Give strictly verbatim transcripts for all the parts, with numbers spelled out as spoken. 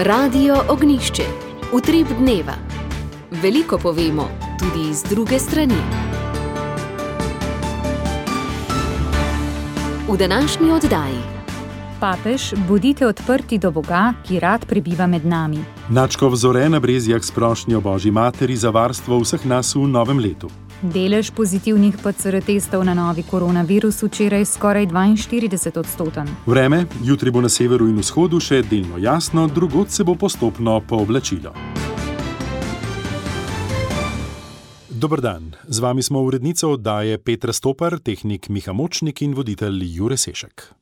Radio Ognjišče, utrip dneva. Veliko povemo, tudi iz druge strani. V današnji oddaji. Papež, bodite odprti do Boga, ki rad prebiva med nami. Načkov Zore na Brezjah s prošnjo Božji materi za varstvo vseh nas v novem letu. Delež pozitivnih P C R testov na novi koronavirus včeraj skoraj dvainštirideset odstoten. Vreme, jutri bo na severu in vzhodu še delno jasno, drugod se bo postopno pooblačilo. Dober dan, z vami smo urednica oddaje Petra Stopar, tehnik Miha Močnik in voditelj Jure Sešek.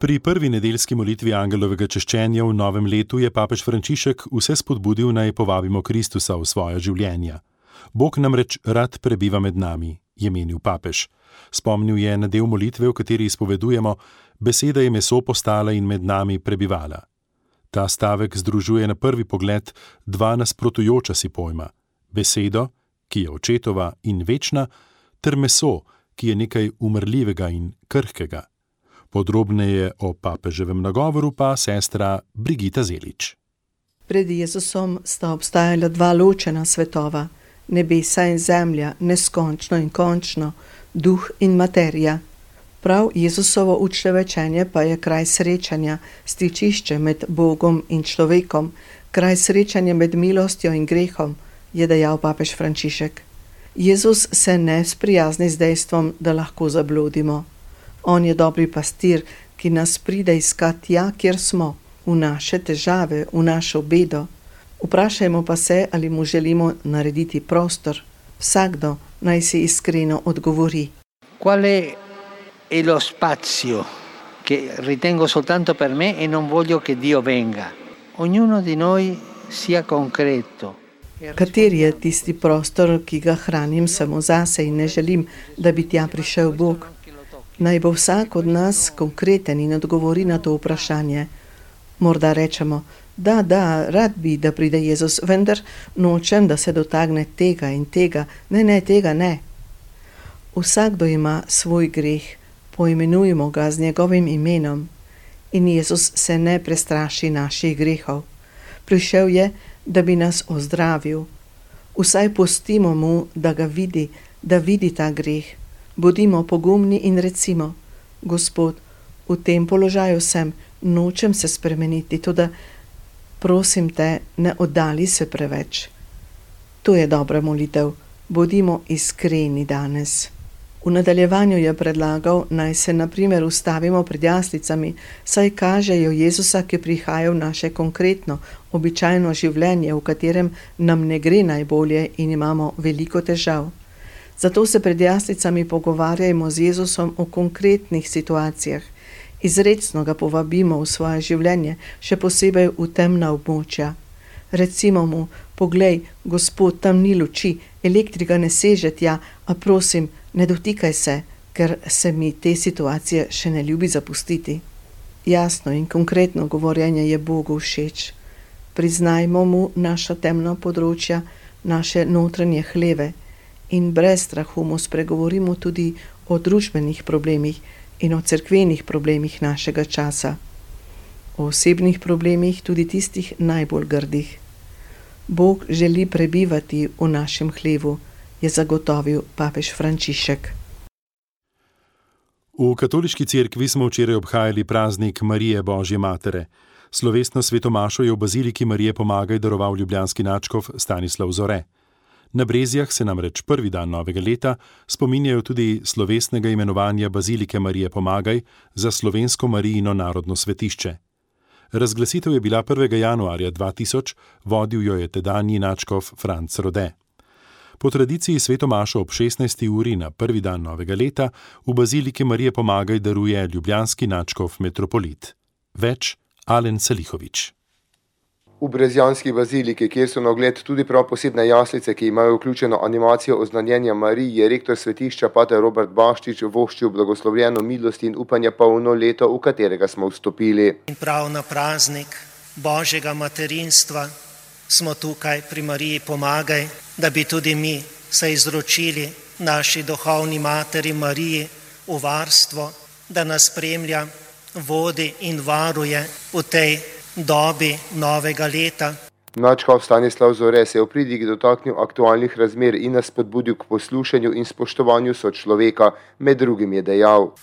Pri prvi nedeljski molitvi angelovega češčenja v novem letu je papež Frančišek vse spodbudil, naj povabimo Kristusa v svoja življenja. Bog namreč rad prebiva med nami, je menil papež. Spomnil je na del molitve, v kateri izpovedujemo: beseda je meso postala in med nami prebivala. Ta stavek združuje na prvi pogled dva nasprotujoča si pojma: besedo, ki je očetova in večna, ter meso, ki je nekaj umrljivega in krhkega. Podrobneje o papeževem nagovoru pa sestra Brigita Zelič. Pred Jezusom sta obstajala dva ločena svetova, nebesa in zemlja, neskončno in končno, duh in materija. Prav Jezusovo učevečenje pa je kraj srečanja, stičišče med Bogom in človekom, kraj srečanja med milostjo in grehom, je dejal papež Frančišek. Jezus se ne sprijazni z dejstvom, da lahko zabludimo. On je dobri pastir, ki nas pride iskat tja, kjer smo, v naše težave, v našo bedo. Vprašajmo pa se, ali mu želimo narediti prostor. Vsakdo naj si iskreno odgovori. Quale è lo spazio che ritengo soltanto per me e non voglio che Dio venga? Ognuno di noi sia concreto. Kateri je tisti prostor, ki ga hranim samo zase in ne želim, da bi tja prišel Bog? Naj bo vsak od nas konkreten in odgovori na to vprašanje. Morda rečemo: da, da, rad bi, da pride Jezus, vendar nočem, da se dotakne tega in tega. Ne, ne, tega ne. Vsakdo ima svoj greh, poimenujmo ga z njegovim imenom. In Jezus se ne prestraši naših grehov. Prišel je, da bi nas ozdravil. Vsaj pustimo mu, da ga vidi, da vidi ta greh. Bodimo pogumni in recimo: Gospod, v tem položaju sem, nočem se spremeniti, toda prosim te, ne oddali se preveč. To je dobra molitev. Bodimo iskreni danes. V nadaljevanju je predlagal, naj se na primer ustavimo pred jaslicami, saj kažejo Jezusa, ki prihaja v naše konkretno, običajno življenje, v katerem nam ne gre najbolje in imamo veliko težav. Zato se pred jaslicami pogovarjajmo z Jezusom o konkretnih situacijah. Izrecno ga povabimo v svoje življenje, še posebej v temna območja. Recimo mu: poglej, Gospod, tam ni luči, elektrika ne seže tja, a prosim, ne dotikaj se, ker se mi te situacije še ne ljubi zapustiti. Jasno in konkretno govorjenje je Bogu všeč. Priznajmo mu naša temna področja, naše notranje hleve. In brez strahu mu spregovorimo tudi o družbenih problemih in o cerkvenih problemih našega časa. O osebnih problemih, tudi tistih najbolj grdih. Bog želi prebivati v našem hlevu, je zagotovil papež Frančišek. V katoliški cerkvi smo včeraj obhajali praznik Marije Božje matere. Slovesno svetomašo je v baziliki Marije Pomagaj daroval ljubljanski nadškof Stanislav Zore. Na Brezjah se namreč prvi dan novega leta spominjajo tudi slovesnega imenovanja bazilike Marije Pomagaj za slovensko Marijino narodno svetišče. Razglasitev je bila prvega januarja dva tisoč, vodil jo je tedanji nadškof Franc Rode. Po tradiciji svetomašo ob šestnajsti uri na prvi dan novega leta v bazilike Marije Pomagaj daruje ljubljanski nadškof metropolit. Več Alen Salihovič. V brezjanski baziliki, kjer so na ogled tudi prav posebne jaslice, ki imajo vključeno animacijo oznanjenja Mariji, je rektor svetišča pater Robert Baščič voščil blagoslovljeno milost in upanje polno leto, v katerega smo vstopili. In prav na praznik Božjega materinstva smo tukaj pri Mariji Pomagaj, da bi tudi mi se izročili naši duhovni materi Mariji v varstvo da nas spremlja, vodi in varuje v tej dobi novega leta. Nadškof Stanislav Zore se je v pridigi dotaknil aktualnih razmer in nas spodbudil k poslušanju in spoštovanju sočloveka, med drugim je dejal: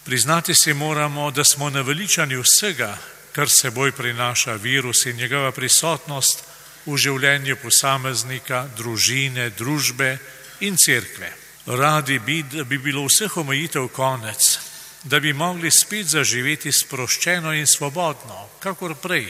Priznati si moramo, da smo naveličani vsega, kar seboj prinaša virus in njegova prisotnost v življenju posameznika, družine, družbe in cerkve. Radi bi, da bi bilo vseh omejitev konec, da bi mogli spet zaživeti sproščeno in svobodno, kakor prej.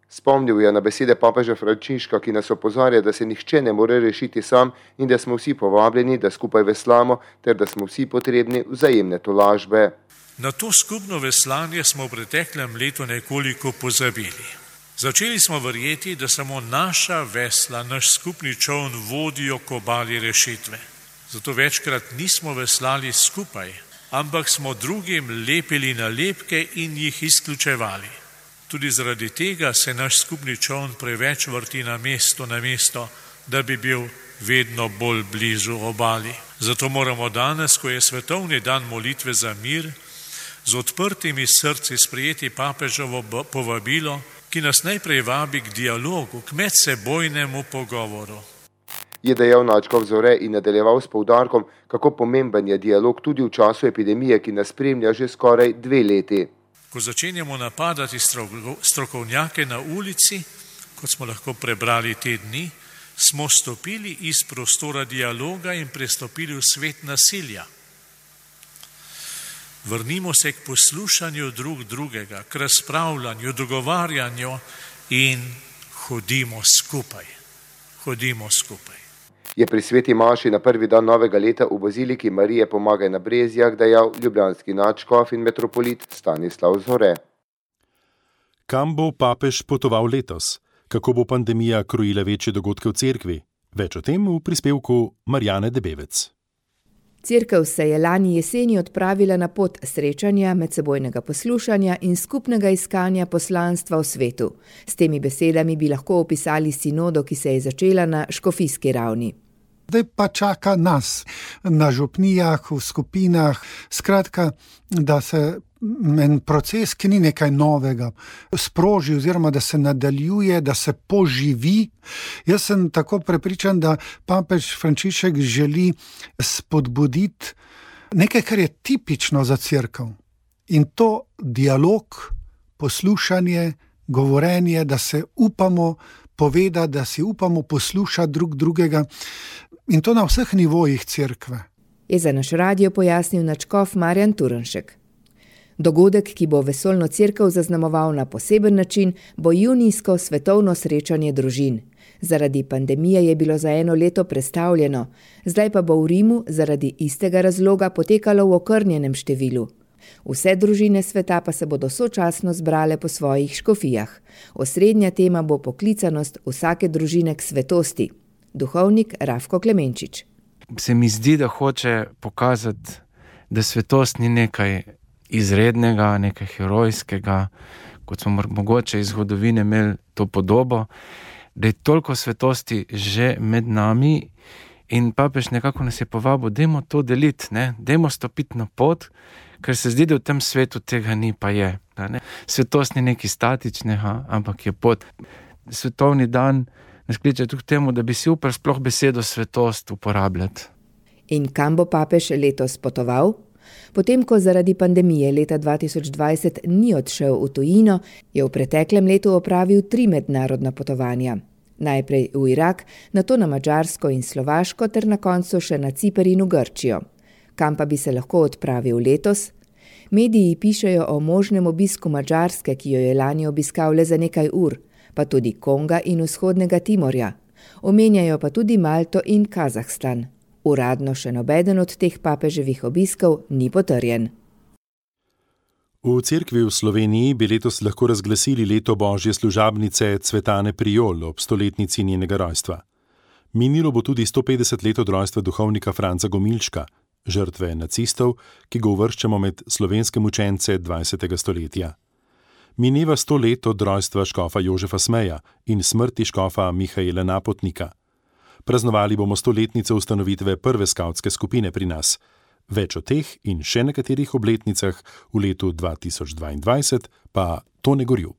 Spomnil je na besede papeža Frančiška, ki nas opozarja, da se nihče ne more rešiti sam in da smo vsi povabljeni, da skupaj veslamo, ter da smo vsi potrebni vzajemne tolažbe. Na to skupno veslanje smo v preteklem letu nekoliko pozabili. Začeli smo verjeti, da samo naša vesla, naš skupni čoln vodijo k obali rešitve. Zato večkrat nismo veslali skupaj, ampak smo drugim lepili nalepke in jih izključevali. Tudi zaradi tega se naš skupni čoln preveč vrti na mesto, na mesto, da bi bil vedno bolj blizu obali. Zato moramo danes, ko je svetovni dan molitve za mir, z odprtimi srci sprejeti papeževo povabilo, ki nas najprej vabi k dialogu, k medsebojnemu pogovoru. Je dejal nadškof Zore in nadaljeval s poudarkom, kako pomemben je dialog tudi v času epidemije, ki nas spremlja že skoraj dve leti. Ko začenjamo napadati strokovnjake na ulici, kot smo lahko prebrali te dni, smo stopili iz prostora dialoga in prestopili v svet nasilja. Vrnimo se k poslušanju drug drugega, k razpravljanju, dogovarjanju in hodimo skupaj. Hodimo skupaj. Je pri sveti maši na prvi dan novega leta v baziliki Marije Pomagaj na Brezjah dejal ljubljanski nadškof in metropolit Stanislav Zore. Kam bo papež potoval letos? Kako bo pandemija krojila večje dogodke v cerkvi? Več o tem v prispevku Marjane Debevec. Cerkev se je lani jeseni odpravila na pot srečanja, medsebojnega poslušanja in skupnega iskanja poslanstva v svetu. S temi besedami bi lahko opisali sinodo, ki se je začela na škofijski ravni. Zdaj pa čaka nas na župnijah, v skupinah, skratka, da se en proces, ki ni nekaj novega, sproži oziroma da se nadaljuje, da se poživi. Jaz sem tako prepričan, da papež Frančišek želi spodbuditi nekaj, kar je tipično za cerkev. In to dialog, poslušanje, govorenje, da se upamo povedati, da si upamo poslušati drug drugega. In to na vseh nivojih cerkve. Je za naš radio pojasnil nadškof Marjan Turnšek. Dogodek, ki bo vesoljno cerkev zaznamoval na poseben način, bo junijsko svetovno srečanje družin. Zaradi pandemije je bilo za eno leto prestavljeno, zdaj pa bo v Rimu zaradi istega razloga potekalo v okrnjenem številu. Vse družine sveta pa se bodo sočasno zbrale po svojih škofijah. Osrednja tema bo poklicanost vsake družine k svetosti. Duhovnik Rafko Klemenčič. Se mi zdi, da hoče pokazati, da svetost ni nekaj izrednega, nekaj herojskega, kot smo mogoče iz zgodovine imeli to podobo, da je toliko svetosti že med nami in papež nekako nas je povabil, dajmo to deliti, ne? Dajmo stopiti na pot, ker se zdi, da v tem svetu tega ni, pa je. Ne? Svetost ni nekaj statičnega, ampak je pot. Svetovni dan nas kliče tudi k temu, da bi si upal sploh besedo svetost uporabljati. In kam bo papež letos potoval? Potem, ko zaradi pandemije leta dva tisoč dvajset ni odšel v tujino, je v preteklem letu opravil tri mednarodna potovanja. Najprej v Irak, nato na Madžarsko in Slovaško ter na koncu še na Ciper in v Grčijo. Kam pa bi se lahko odpravil letos? Mediji pišejo o možnem obisku Madžarske, ki jo je lani obiskal le za nekaj ur, pa tudi Konga in vzhodnega Timorja. Omenjajo pa tudi Malto in Kazahstan. Uradno še nobeden od teh papeževih obiskov ni potrjen. V cerkvi v Sloveniji bi letos lahko razglasili leto božje služabnice Cvetane Prijol ob stoletnici njenega rojstva. Minilo bo tudi sto petdeset let od rojstva duhovnika Franca Gomilčka, žrtve nacistov, ki ga uvrščamo med slovenske mučence dvajsetega stoletja. Mineva sto let od rojstva škofa Jožefa Smeja in smrti škofa Mihaela Napotnika. Praznovali bomo stoletnico ustanovitve prve skavtske skupine pri nas. Več o teh in še nekaterih obletnicah v letu dva tisoč dvaindvajset pa Tone Gorjup.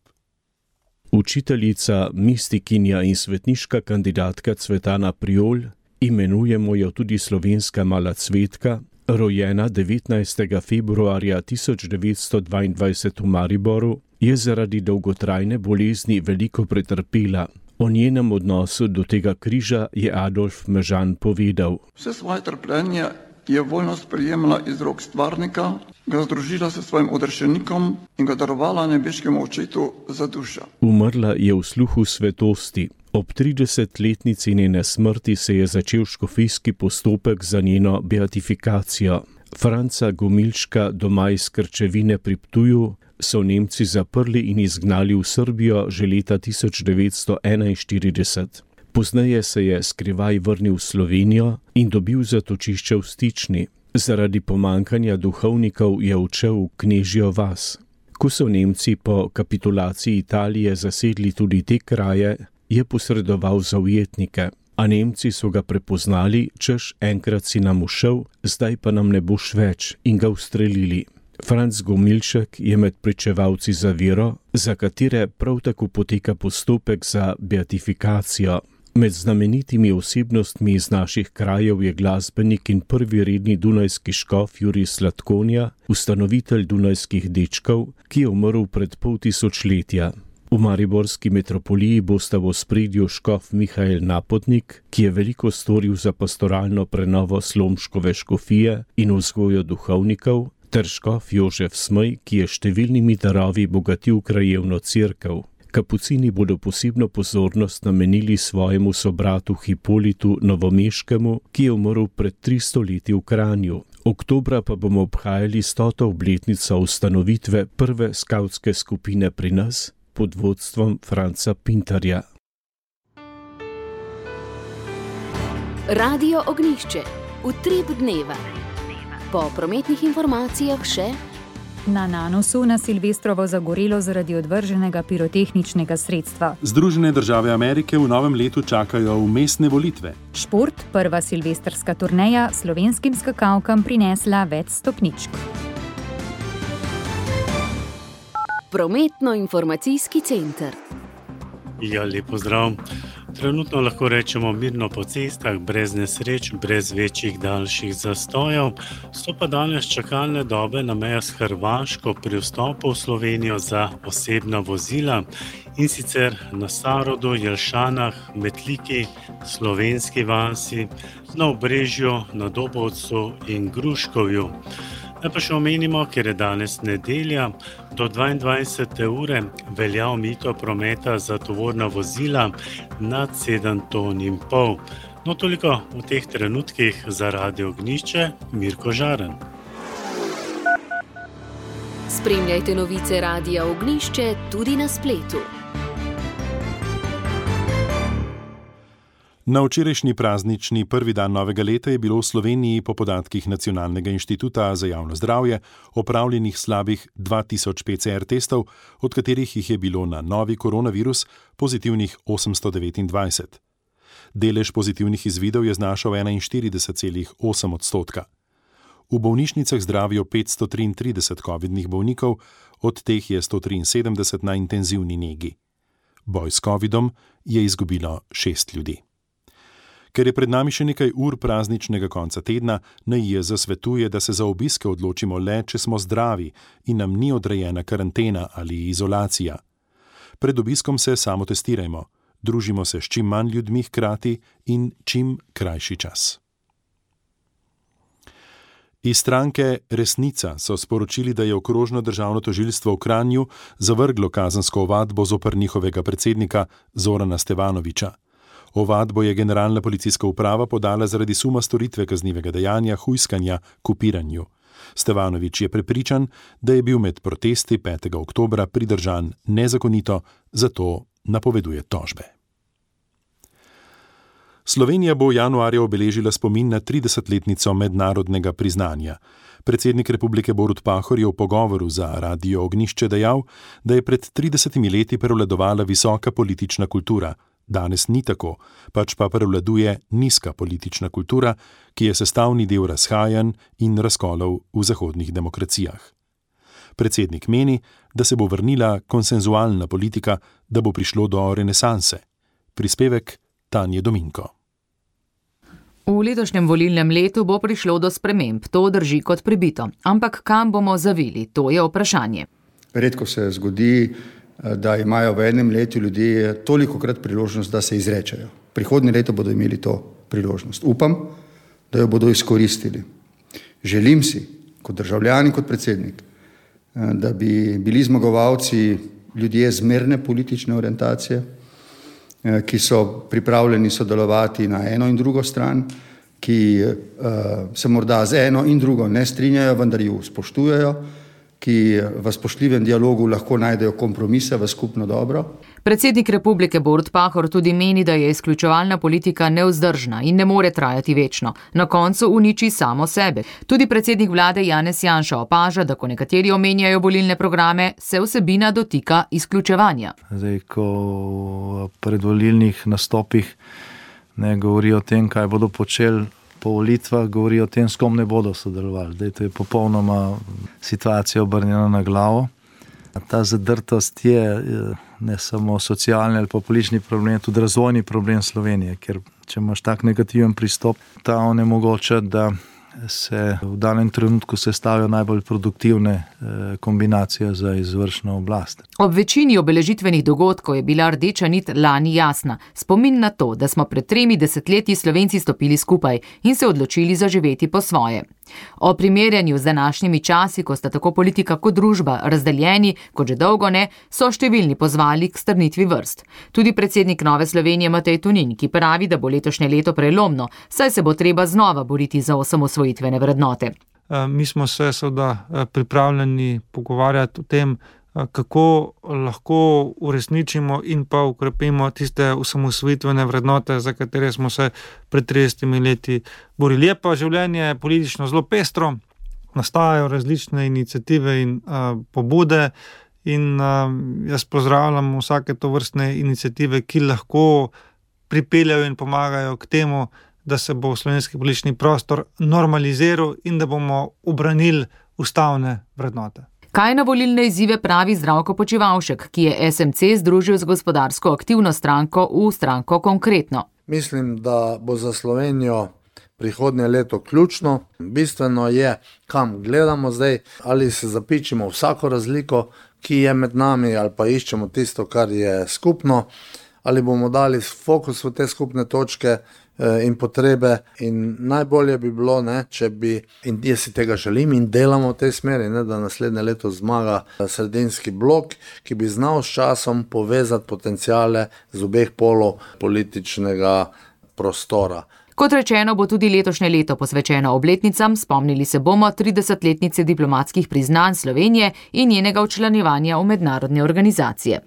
Učiteljica, mistikinja in svetniška kandidatka Cvetana Priol, imenujemo jo tudi slovenska mala cvetka, rojena devetnajstega februarja tisoč devetsto dvaindvajset v Mariboru, je zaradi dolgotrajne bolezni veliko pretrpela. O njenem odnosu do tega križa je Adolf Mežan povedal. Vse svoje trpljenje je voljno sprejemala iz rok stvarnika, ga združila s svojim odrešenikom in ga darovala nebeškemu očetu za dušo. Umrla je v sluhu svetosti. Ob tridesetletnici njene smrti se je začel škofijski postopek za njeno beatifikacijo. Franca Gomilška doma iz Krčevine pri Ptuju so Nemci zaprli in izgnali v Srbijo že leta tisoč devetsto enainštirideset. Pozneje se je skrivaj vrnil v Slovenijo in dobil zatočišče v Stični. Zaradi pomankanja duhovnikov je odšel v Knežjo vas. Ko so Nemci po kapitulaciji Italije zasedli tudi te kraje, je posredoval za ujetnike, a Nemci so ga prepoznali, češ enkrat si nam ušel, zdaj pa nam ne boš več, in ga ustrelili. Franc Gomilšek je med pričevalci za vero, za katere prav tako poteka postopek za beatifikacijo. Med znamenitimi osebnostmi iz naših krajev je glasbenik in prvi redni dunajski škof Jurij Slatkonja, ustanovitelj Dunajskih dečkov, ki je umrl pred pol tisočletja. V mariborski metropoliji bosta v ospredju škof Mihael Napotnik, ki je veliko storil za pastoralno prenovo Slomškove škofije in vzgojo duhovnikov, ter škof Jožef Smej, ki je številnimi darovi bogatil krajevno cerkev. Kapucini bodo posebno pozornost namenili svojemu sobratu Hipolitu Novomeškemu, ki je umrl pred tristo leti v Kranju. Oktobra pa bomo obhajali stoto obletnico ustanovitve prve skavtske skupine pri nas pod vodstvom Franca Pintarja. Radio Ognjišče, utrip dneva. Po prometnih informacijah še na Nanosu na Silvestrovo zagorelo zaradi odvrženega pirotehničnega sredstva. Združene države Amerike v novem letu čakajo vmesne volitve. Šport, prva silvestrska turneja, slovenskim skakalkam prinesla več stopničk. Prometno-informacijski center. Ja, lep pozdrav. Trenutno lahko rečemo mirno po cestah, brez nesreč, brez večjih daljših zastojev. So pa danes čakalne dobe na mejah s Hrvaško pri vstopu v Slovenijo za osebna vozila, in sicer na Sarodu, Jelšanah, Metliki, Slovenski vasi, na Obrežju, na Dobovcu in Gruškovju. Naj pa še omenimo, ker je danes nedelja, do dvaindvajsete ure velja omejitev prometa za tovorna vozila nad sedem ton in pol. No, toliko v teh trenutkih za Radio Ognjišče, Mirko Žaren. Spremljajte novice Radia Ognjišče tudi na spletu. Na včerajšnji praznični prvi dan novega leta je bilo v Sloveniji po podatkih Nacionalnega inštituta za javno zdravje opravljenih slabih dva tisoč P C R testov, od katerih jih je bilo na novi koronavirus pozitivnih osemsto devetindvajset. Delež pozitivnih izvidov je znašal enainštirideset celih osem odstotka. V bolnišnicah zdravijo petsto triintrideset covidnih bolnikov, od teh je sto triinsedemdeset na intenzivni negi. Boj s covidom je izgubilo šest ljudi. Ker je pred nami še nekaj ur prazničnega konca tedna, N I J Z svetuje, da se za obiske odločimo le, če smo zdravi in nam ni odrejena karantena ali izolacija. Pred obiskom se samotestirajmo, družimo se s čim manj ljudmi hkrati in čim krajši čas. Iz stranke Resnica so sporočili, da je okrožno državno tožilstvo v Kranju zavrglo kazensko ovadbo zoper njihovega predsednika Zorana Stevanoviča. Ovadbo je generalna policijska uprava podala zaradi suma storitve kaznivega dejanja hujskanja k upiranju. Stevanovič je prepričan, da je bil med protesti petega oktobra pridržan nezakonito, zato napoveduje tožbe. Slovenija bo januarja obeležila spomin na tridesetletnico mednarodnega priznanja. Predsednik republike Borut Pahor je v pogovoru za Radio Ognjišče dejal, da je pred tridesetimi leti prevladovala visoka politična kultura, Danes ni tako, pač pa prevladuje nizka politična kultura, ki je sestavni del razhajanj in razkolov v zahodnih demokracijah. Predsednik meni, da se bo vrnila konsenzualna politika, da bo prišlo do renesanse. Prispevek Tanje Dominko. V letošnjem volilnem letu bo prišlo do sprememb, to drži kot pribito. Ampak kam bomo zavili, to je vprašanje. Redko se zgodi, da imajo v enem letu ljudje tolikokrat priložnost, da se izrečejo. Prihodnje leto bodo imeli to priložnost. Upam, da jo bodo izkoristili. Želim si, kot državljan in kot predsednik, da bi bili zmagovalci ljudje zmerne politične orientacije, ki so pripravljeni sodelovati na eno in drugo stran, ki se morda z eno in drugo ne strinjajo, vendar ju spoštujejo, ki v spoštljivem dialogu lahko najdejo kompromise v skupno dobro. Predsednik republike Borut Pahor tudi meni, da je izključevalna politika nevzdržna in ne more trajati večno. Na koncu uniči samo sebe. Tudi predsednik vlade Janez Janša opaža, da ko nekateri omenjajo volilne programe, se vsebina dotika izključevanja. Zdaj, ko v predvolilnih nastopih ne govorijo o tem, kaj bodo počeli po volitvah, govorijo o tem, s kom ne bodo sodelovali. Zdaj, to je popolnoma situacija obrnjena na glavo. Ta zadrtost je ne samo socialni ali pa politični problem, tudi razvojni problem Slovenije, ker če imaš tak negativen pristop, ta onemogoča, da se v danem trenutku sestavijo najbolj produktivne kombinacije za izvršno oblast. Ob večini obeležitvenih dogodkov je bila rdeča nit lani jasna. Spomin na to, da smo pred tremi desetletji Slovenci stopili skupaj in se odločili zaživeti po svoje. O primerjanju z današnjimi časi, ko sta tako politika kot družba razdeljeni, kot že dolgo ne, so številni pozvali k strnitvi vrst. Tudi predsednik Nove Slovenije Matej Tonin, ki pravi, da bo letošnje leto prelomno, saj se bo treba znova boriti za osamosvojitvene vrednote. Mi smo se seveda pripravljeni pogovarjati o tem, kako lahko uresničimo in pa ukrepimo tiste osamosvojitvene vrednote, za katere smo se pred tridesetimi leti borili. Je pa življenje politično zelo pestro, nastajajo različne iniciative in uh, pobude in uh, jaz pozdravljam vsake tovrstne iniciative, ki lahko pripeljajo in pomagajo k temu, da se bo slovenski politični prostor normaliziral in da bomo ubranili ustavne vrednote. Kaj na volilne izzive pravi Zdravko Počivalšek, ki je es em ce združil z gospodarsko aktivno stranko v stranko Konkretno? Mislim, da bo za Slovenijo prihodnje leto ključno. Bistveno je, kam gledamo zdaj, ali se zapičimo vsako razliko, ki je med nami, ali pa iščemo tisto, kar je skupno, ali bomo dali fokus v te skupne točke in potrebe in najbolje bi bilo, ne, če bi, in jaz si tega želim in delamo v tej smeri, ne, da naslednje leto zmaga sredinski blok, ki bi znal s časom povezati potenciale z obeh polov političnega prostora. Kot rečeno, bo tudi letošnje leto posvečeno obletnicam, spomnili se bomo tridesetletnice diplomatskih priznanj Slovenije in njenega včlanjevanja v mednarodne organizacije.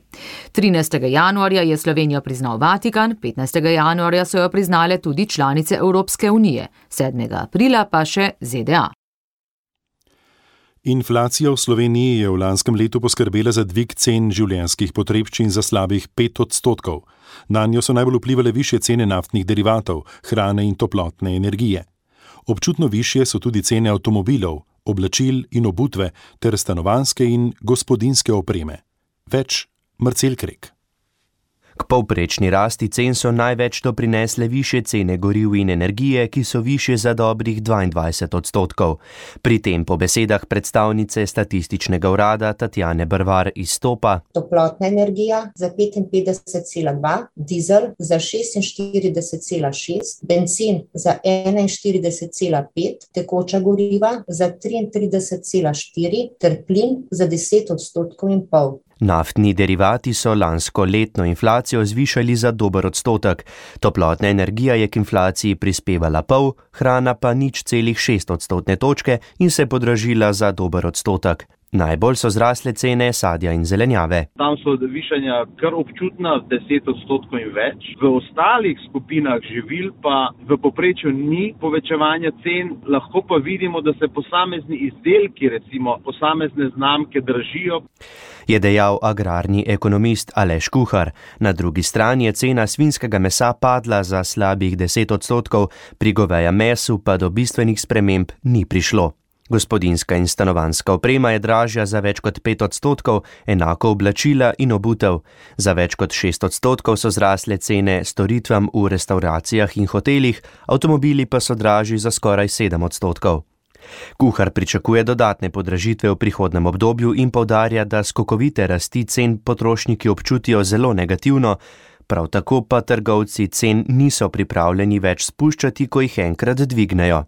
trinajstega januarja je Slovenijo priznal Vatikan, petnajstega januarja so jo priznale tudi članice Evropske unije, sedmega aprila pa še ze de a. Inflacija v Sloveniji je v lanskem letu poskrbela za dvig cen življenjskih potrebščin za slabih pet odstotkov. Nanjo so najbolj vplivale višje cene naftnih derivatov, hrane in toplotne energije. Občutno višje so tudi cene avtomobilov, oblačil in obutve ter stanovanjske in gospodinjske opreme. Več Marcel Krek. K povprečni rasti cen so največ doprinesle višje cene goriv in energije, ki so višje za dobrih dvaindvajset odstotkov. Pri tem po besedah predstavnice statističnega urada Tatjane Brvar izstopa toplotna energija za petinpetdeset cela dva, dizel za šestinštirideset cela šest, bencin za enainštirideset cela pet, tekoča goriva za triintrideset cela štiri ter plin za deset odstotkov in pol. Naftni derivati so lansko letno inflacijo zvišali za dober odstotek. Toplotna energija je k inflaciji prispevala pol, hrana pa nič celih šest odstotne točke in se podražila za dober odstotek. Najbolj so zrasle cene sadja in zelenjave. Tam so višanja kar občutna, deset odstotkov in več. V ostalih skupinah živil pa v povprečju ni povečevanja cen, lahko pa vidimo, da se posamezni izdelki, recimo posamezne znamke, dražijo. je dejal agrarni ekonomist Aleš Kuhar. Na drugi strani je cena svinjskega mesa padla za slabih deset odstotkov, pri govejem mesu pa do bistvenih sprememb ni prišlo. Gospodinjska in stanovanjska oprema je dražja za več kot pet odstotkov, enako oblačila in obutev. Za več kot šest odstotkov so zrasle cene storitvam v restavracijah in hotelih, avtomobili pa so dražji za skoraj sedem odstotkov. Kuhar pričakuje dodatne podražitve v prihodnem obdobju in poudarja, da skokovite rasti cen potrošniki občutijo zelo negativno, prav tako pa trgovci cen niso pripravljeni več spuščati, ko jih enkrat dvignejo.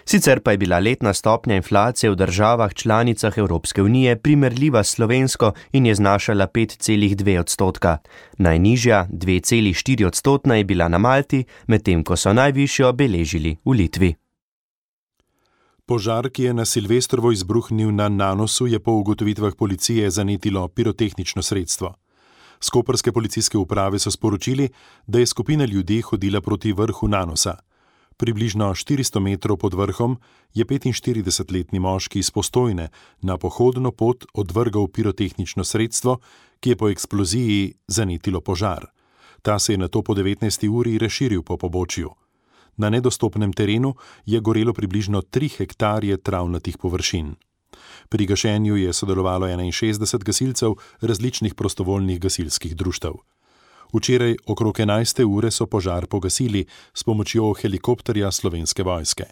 Sicer pa je bila letna stopnja inflacije v državah članicah Evropske unije primerljiva s slovensko in je znašala pet celih dve odstotka. Najnižja, dve celih štiri odstotna, je bila na Malti, medtem ko so najvišjo beležili v Litvi. Požar, ki je na Silvestrovo izbruhnil na Nanosu, je po ugotovitvah policije zanetilo pirotehnično sredstvo. S koprske policijske uprave so sporočili, da je skupina ljudi hodila proti vrhu Nanosa. Približno štiristo metrov pod vrhom je petinštiridesetletni moški iz Postojne na pohodno pot odvrgal pirotehnično sredstvo, ki je po eksploziji zanetilo požar. Ta se je nato po devetnajsti uri razširil po pobočju. Na nedostopnem terenu je gorelo približno tri hektarje travnatih površin. Pri gašenju je sodelovalo enainšestdeset gasilcev različnih prostovoljnih gasilskih društev. Včeraj okrog enajste ure so požar pogasili s pomočjo helikopterja Slovenske vojske.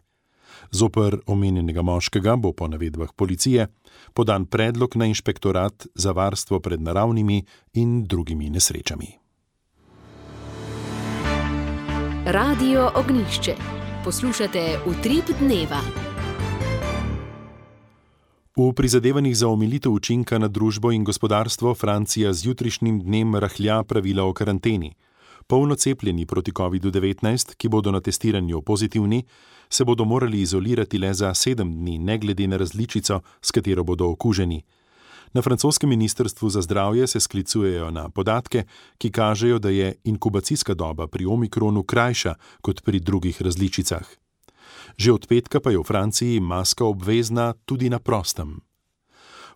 Zoper omenjenega moškega bo po navedbah policije podan predlog na inšpektorat za varstvo pred naravnimi in drugimi nesrečami. Radio Ognjišče. Poslušate Utrip dneva. V prizadevanjih za omilitev učinka na družbo in gospodarstvo Francija z jutrišnjim dnem rahlja pravila o karanteni. Polno cepljeni proti kovidu devetnajst, ki bodo na testiranju pozitivni, se bodo morali izolirati le za sedem dni, ne glede na različico, s katero bodo okuženi. Na francoskem ministrstvu za zdravje se sklicujejo na podatke, ki kažejo, da je inkubacijska doba pri omikronu krajša kot pri drugih različicah. Že od petka pa je v Franciji maska obvezna tudi na prostem.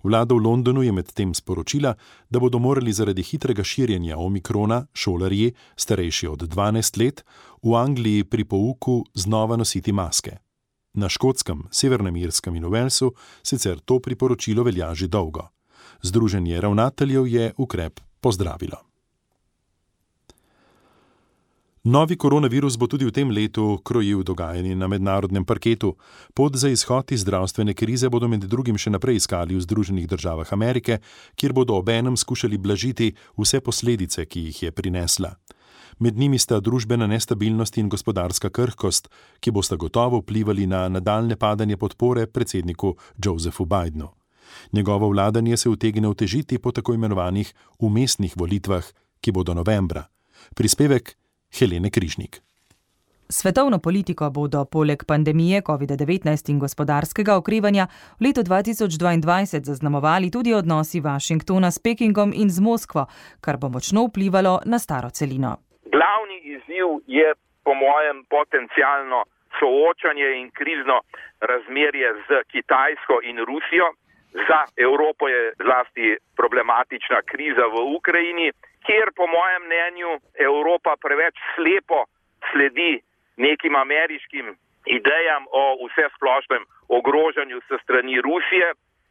Vlada v Londonu je medtem sporočila, da bodo morali zaradi hitrega širjenja omikrona šolarji, starejši od dvanajst let, v Angliji pri pouku znova nositi maske. Na Škotskem, Severnem Irskem in v Walesu sicer to priporočilo velja že dolgo. Združenje ravnateljev je ukrep pozdravilo. Novi koronavirus bo tudi v tem letu krojil dogajanje na mednarodnem parketu. Pot za izhod iz zdravstvene krize bodo med drugim še naprej iskali v Združenih državah Amerike, kjer bodo obenem skušali blažiti vse posledice, ki jih je prinesla. Med njimi sta družbena nestabilnost in gospodarska krhkost, ki bosta gotovo vplivali na nadaljne padanje podpore predsedniku Josephu Bidenu. Njegovo vladanje se utegne otežiti po tako imenovanih vmesnih volitvah, ki bodo novembra. Prispevek Helene Križnik. Svetovno politiko bodo poleg pandemije covida devetnajst in gospodarskega okrevanja v letu dva tisoč dvaindvajset zaznamovali tudi odnosi Washingtona s Pekingom in z Moskvo, kar bo močno vplivalo na staro celino. Glavni izziv je po mojem potencialno soočanje in krizno razmerje z Kitajsko in Rusijo. Za Evropo je zlasti problematična kriza v Ukrajini, kjer po mojem mnenju Evropa preveč slepo sledi nekim ameriškim idejam o vsesplošnem ogrožanju se strani Rusije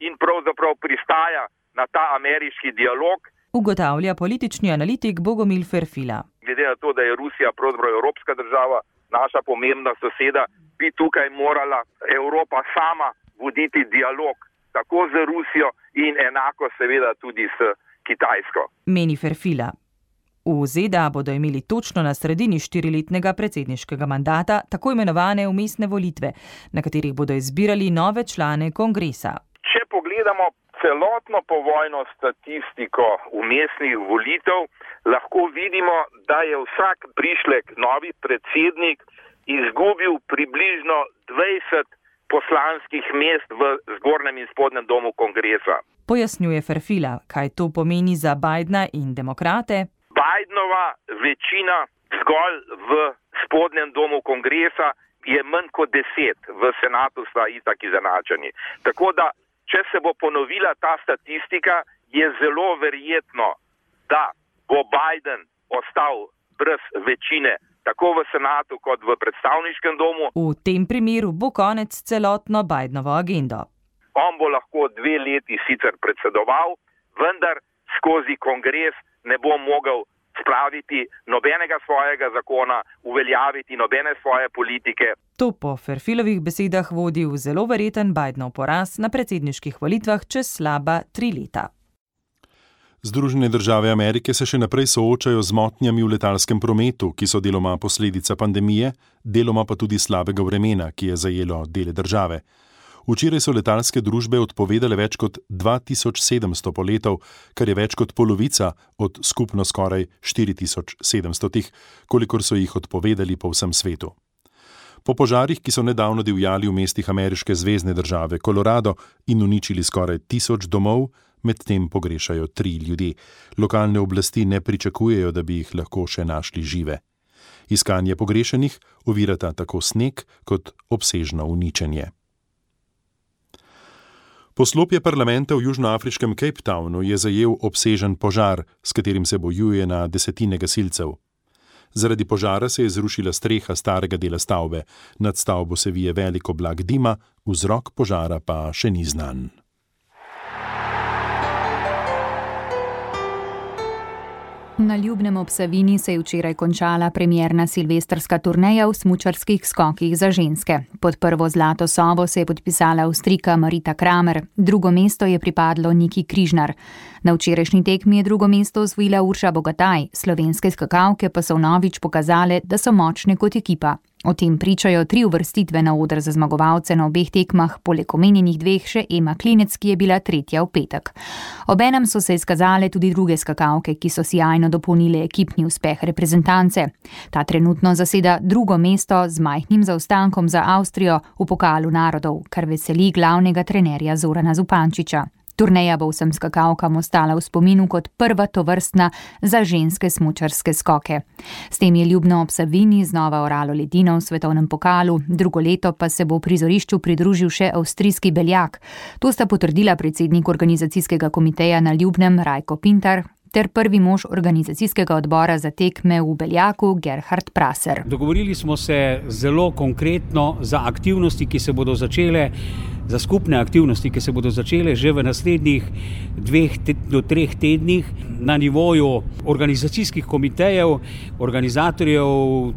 in pravzaprav pristaja na ta ameriški dialog. Ugotavlja politični analitik Bogomil Ferfila. Glede na to, da je Rusija pravzaprav evropska država, naša pomembna soseda, bi tukaj morala Evropa sama voditi dialog tako z Rusijo in enako seveda tudi s Kitajsko. Meni Ferfila. V Z D A bodo imeli točno na sredini štiriletnega predsedniškega mandata tako imenovane vmesne volitve, na katerih bodo izbirali nove člane kongresa. Če pogledamo celotno povojno statistiko vmesnih volitev, lahko vidimo, da je vsak prišlek novi predsednik izgubil približno dvajset poslanskih mest v zgornjem in spodnjem domu kongresa. Pojasnjuje Ferfila, kaj to pomeni za Bidna in demokrate. Bidenova večina zgolj v spodnjem domu kongresa je manj kot deset, v senatu sta itak izenačeni. Tako da, če se bo ponovila ta statistika, je zelo verjetno, da bo Biden ostal brez večine tako v senatu kot v predstavniškem domu. V tem primeru bo konec celotno Bidenovo agendo. On bo lahko dve leti sicer predsedoval, vendar skozi kongres ne bo mogel spraviti nobenega svojega zakona, uveljaviti nobene svoje politike. To po Ferfilovih besedah vodi v zelo verjeten Bidenov poraz na predsedniških volitvah čez slaba tri leta. Združene države Amerike se še naprej soočajo z motnjami v letalskem prometu, ki so deloma posledica pandemije, deloma pa tudi slabega vremena, ki je zajelo dele države. Včeraj so letalske družbe odpovedale več kot dva tisoč sedemsto poletov, kar je več kot polovica od skupno skoraj štiri tisoč sedemstotih, kolikor so jih odpovedali po vsem svetu. Po požarih, ki so nedavno divjali v mestih ameriške zvezne države Colorado in uničili skoraj tisoč domov, medtem pogrešajo tri ljudi. Lokalne oblasti ne pričakujejo, da bi jih lahko še našli žive. Iskanje pogrešenih ovirata tako sneg kot obsežno uničenje. Poslopje parlamenta v južnoafriškem Cape Townu je zajel obsežen požar, s katerim se bojuje na desetine gasilcev. Zaradi požara se je zrušila streha starega dela stavbe, nad stavbo se vije velik oblak dima, vzrok požara pa še ni znan. Na Ljubnem ob Savinji se je včeraj končala premierna silvestrska turneja v smučarskih skokih za ženske. Pod prvo zlato sovo se je podpisala Avstrijka Marita Kramer, drugo mesto je pripadlo Niki Križnar. Na včerajšnji tekmi je drugo mesto osvojila Urša Bogataj, slovenske skakalke pa so vnovič pokazale, da so močne kot ekipa. O tem pričajo tri uvrstitve na oder za zmagovalce na obeh tekmah, poleg omenjenih dveh še Ema Klinec, ki je bila tretja v petek. Obenem so se izkazale tudi druge skakalke, ki so sijajno dopolnile ekipni uspeh reprezentance. Ta trenutno zaseda drugo mesto z majhnim zaostankom za Avstrijo v pokalu narodov, kar veseli glavnega trenerja Zorana Zupančiča. Turneja bo vsem skakalkam ostala v spominu kot prva tovrstna za ženske smučarske skoke. S tem je Ljubno ob Savinji znova oralo ledino v svetovnem pokalu, drugo leto pa se bo prizorišču pridružil še avstrijski beljak. To sta potrdila predsednik organizacijskega komiteja na Ljubnem Rajko Pintar ter prvi mož organizacijskega odbora za tekme v beljaku Gerhard Praser. Dogovorili smo se zelo konkretno za aktivnosti, ki se bodo začele za skupne aktivnosti, ki se bodo začele že v naslednjih dveh do treh tednih na nivoju organizacijskih komitejev, organizatorjev,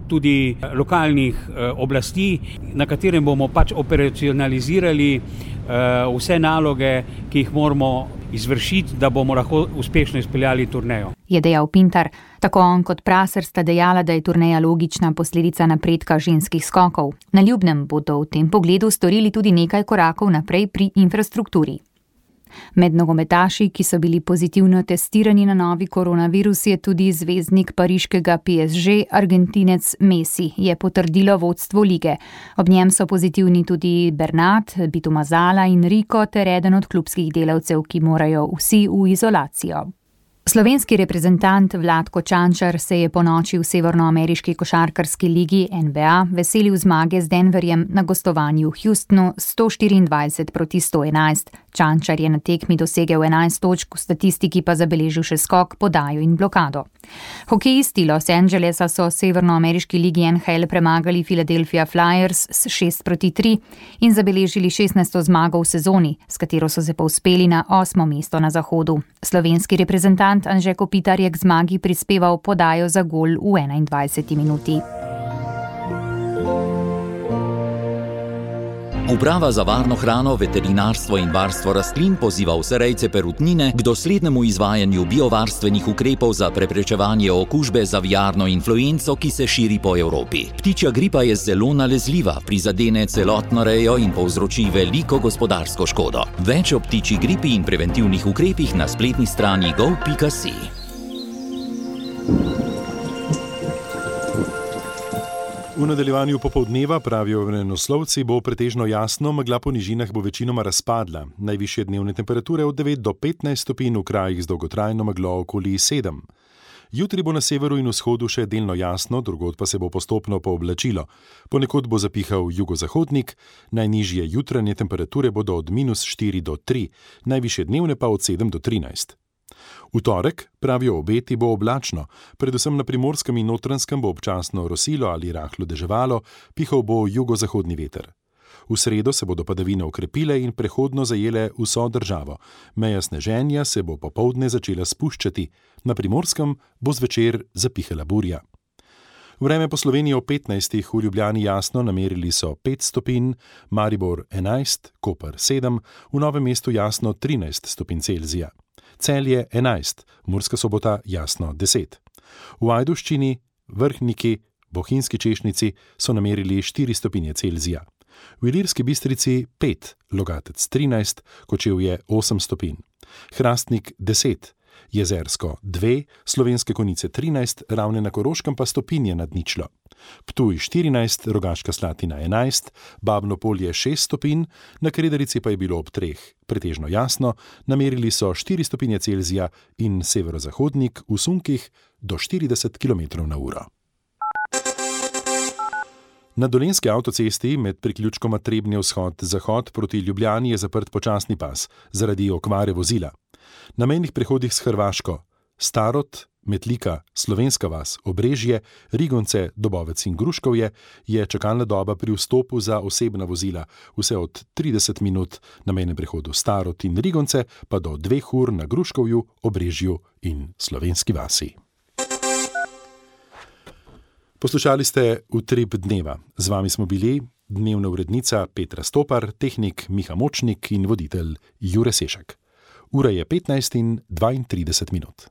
tudi lokalnih eh, oblasti, na katerem bomo pač operacionalizirali eh, vse naloge, ki jih moramo izvršiti, da bomo lahko uspešno izpeljali turnejo. Je dejal Pintar. Tako on kot Praser sta dejala, da je turneja logična posledica napredka ženskih skokov. Na Ljubnem bodo v tem pogledu storili tudi nekaj korakov naprej pri infrastrukturi. Med nogometaši, ki so bili pozitivno testirani na novi koronavirus, je tudi zvezdnik pariškega P S G, Argentinec Messi, je potrdilo vodstvo lige. Ob njem so pozitivni tudi Bernat, Bito Mazala in Rico ter eden od klubskih delavcev, ki morajo vsi v izolacijo. Slovenski reprezentant Vlatko Čančar se je po noči v severnoameriški košarkarski ligi N B A veselil zmage z Denverjem na gostovanju v Houstonu sto štiriindvajset proti sto enajst. Čančar je na tekmi dosegel enajst točk, v statistiki pa zabeležil še skok, podajo in blokado. Hokejisti Los Angelesa so v severnoameriški ligi N H L premagali Philadelphia Flyers s šest proti tri in zabeležili šestnajsto zmago v sezoni, s katero so se povzpeli na osmo mesto na zahodu. Slovenski reprezentant Anže Kopitar je k zmagi prispeval podajo za gol v enaindvajseti minuti. Uprava za varno hrano, veterinarstvo in varstvo rastlin poziva vse rejce perutnine k doslednemu izvajanju biovarstvenih ukrepov za preprečevanje okužbe z aviarno influenco, ki se širi po Evropi. Ptičja gripa je zelo nalezljiva, prizadene celotno rejo in povzroči veliko gospodarsko škodo. Več o ptičji gripi in preventivnih ukrepih na spletni strani gov pika si. V nadaljevanju popoldneva, pravijo vremenoslovci, bo pretežno jasno, megla po nižinah bo večinoma razpadla. Najvišje dnevne temperature od devet do petnajst stopinj, v krajih z dolgotrajno meglo okoli sedem. Jutri bo na severu in vzhodu še delno jasno, drugod pa se bo postopno pooblačilo. Ponekod bo zapihal jugozahodnik, najnižje jutranje temperature bodo od minus štiri do tri, najvišje dnevne pa od sedem do trinajst. V torek, pravijo obeti, bo oblačno, predvsem na Primorskem in Notranjskem bo občasno rosilo ali rahlo deževalo, pihal bo jugozahodni veter. V sredo se bodo padavine okrepile in prehodno zajele vso državo. Meja sneženja se bo popoldne začela spuščati, na Primorskem bo zvečer zapihala burja. Vreme po Sloveniji ob petnajstih, v Ljubljani jasno, namerili so pet stopinj, Maribor enajst, Koper sedem, v Novem mestu jasno trinajst stopinj Celzija. Celje enajst, Murska Sobota jasno deset. V Ajdovščini, Vrhniki, Bohinjski Češnici so namerili štiri stopinje Celzija. V Ilirski Bistrici pet, Logatec trinajst, Kočevje osem stopinj. Hrastnik deset, Jezersko dve, Slovenske Konjice trinajst, Ravne na Koroškem pa stopinje nad ničlo. Ptuj štirinajst, Rogaška Slatina enajst, Babno Polje šest stopinj, na Kredarici pa je bilo ob treh. Pretežno jasno, namerili so štiri stopinje Celzija in severozahodnik v sunkih do štirideset kilometrov na uro. Na Dolenjski avtocesti med priključkoma Trebnje vzhod-zahod proti Ljubljani je zaprt počasni pas zaradi okvare vozila. Na mejnih prehodih s Hrvaško, Starod, Metlika, Slovenska vas, Obrežje, Rigonce, Dobovec in Gruškovje je čakalna doba pri vstopu za osebna vozila vse od trideset minut, na mejnem prehodu Starod in Rigonce pa do dveh ur na Gruškovju, Obrežju in Slovenski vasi. Poslušali ste Utrip dneva. Z vami smo bili dnevna urednica Petra Stopar, tehnik Miha Močnik in voditelj Jure Sešak. Ura je petnajst in dvaintrideset minut.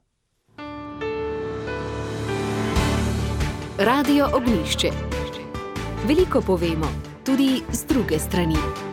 Radio Ognjišče. Veliko povemo, tudi z druge strani.